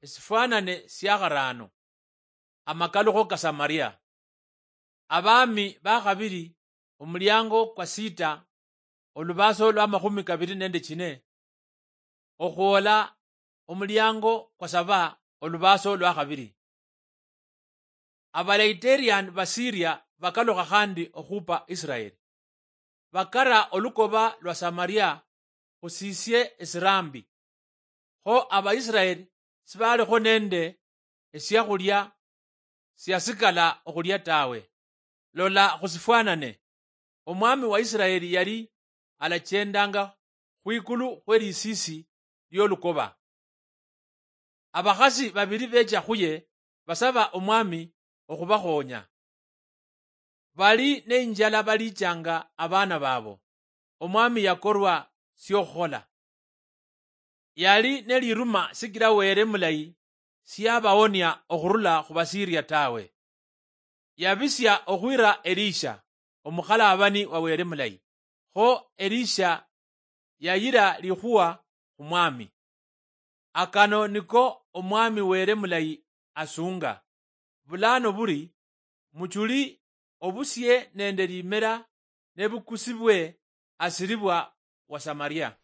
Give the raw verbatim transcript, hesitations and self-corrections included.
Esifwanane sia kharaano. Amakalukho ka Samaria. Abaami ba khabiri, omuliango kwa sita, olubaaso lwa makhumi kabiri nende chine, okhwola omuliango kwa saba, olubaaso lwa khabiri. Abalaiterian ba Siria bakalukha khandi okhupa Israeli. Bakara olukoba lwa Samaria khusisie esiraambi. Kho Abaisiraeli sibalikho nende esiakhulia siasikala okhulia tawe. Lola khusifwanane, omwami wa Isiraeli yali alachendanga khwikulu khwe lisisi liolukoba. Abakhasi babili becha khuye basaba omwami okhubakhonya. Bali neinjala balichanga abaana babo. Omwami yakorwa siokhukhola. Yali neliruma sikila Wele mulayi siyabawonia okhurula khubasiria tawe. Yabisia okhwira Elisha, omukhalabani wa Wele mulayi. Kho Elisha yayira likhuwa khumwami. Akano niko omwami Wele mulayi asunga. Bulano buri, muchuli obusie nende limera nebukusibwe asiribwa wa Samaria.